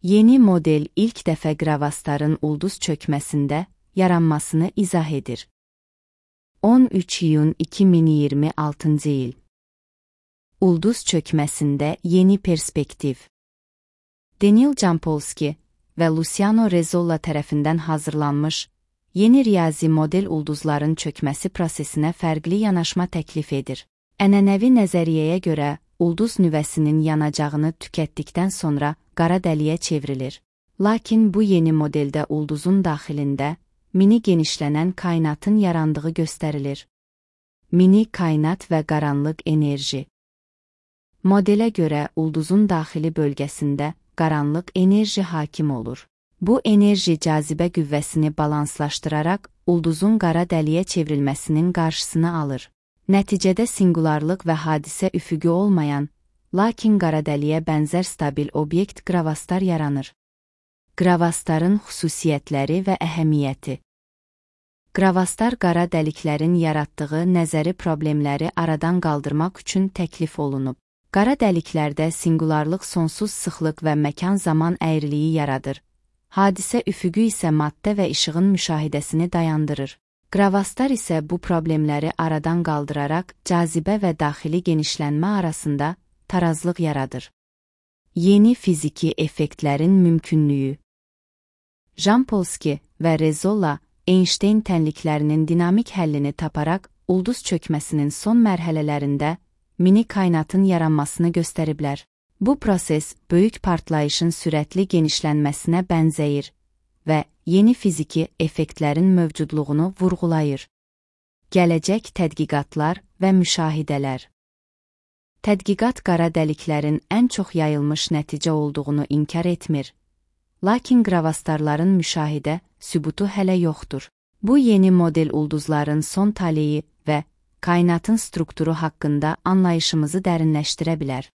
Yeni model ilk dəfə Gravastarın ulduz çökməsində yaranmasını izah edir. 13 iyun 2026 il. Ulduz çökməsində yeni perspektiv. Daniel Jampolsky və Luciano Rezzolla tərəfindən hazırlanmış yeni riyazi model ulduzların çökməsi prosesinə fərqli yanaşma təklif edir. Ənənəvi nəzəriyyəyə görə, ulduz nüvəsinin yanacağını tükətdikdən sonra qara dəliyə çevrilir. Lakin bu yeni modeldə ulduzun daxilində mini genişlənən kainatın yarandığı göstərilir. Mini kainat və qaranlıq enerji. Modelə görə ulduzun daxili bölgəsində qaranlıq enerji hakim olur. Bu enerji cazibə qüvvəsini balanslaşdıraraq ulduzun qara dəliyə çevrilməsinin qarşısını alır. Nəticədə singularlıq və hadisə üfüqü olmayan, lakin qara dəliyə bənzər stabil obyekt Gravastar yaranır. Gravastarın xüsusiyyətləri və əhəmiyyəti. Gravastar qara dəliklərin yaratdığı nəzəri problemləri aradan qaldırmaq üçün təklif olunub. Qara dəliklərdə singularlıq sonsuz sıxlıq və məkan-zaman əyriliyi yaradır. Hadisə üfüqü isə maddə və işığın müşahidəsini dayandırır. Gravastar isə bu problemləri aradan qaldıraraq cazibə və daxili genişlənmə arasında tarazlıq yaradır. Yeni fiziki effektlərin mümkünlüyü. Jampolsky və Rezzolla Einstein tənliklərinin dinamik həllini taparaq ulduz çökməsinin son mərhələlərində mini kainatın yaranmasını göstəriblər. Bu proses böyük partlayışın sürətli genişlənməsinə bənzəyir və yeni fiziki effektlərin mövcudluğunu vurğulayır. Gələcək tədqiqatlar və müşahidələr. Tədqiqat qara dəliklərin ən çox yayılmış nəticə olduğunu inkar etmir. Lakin Gravastarların müşahidə sübutu hələ yoxdur. Bu yeni model ulduzların son taleyi və kainatın strukturu haqqında anlayışımızı dərinləşdirə bilər.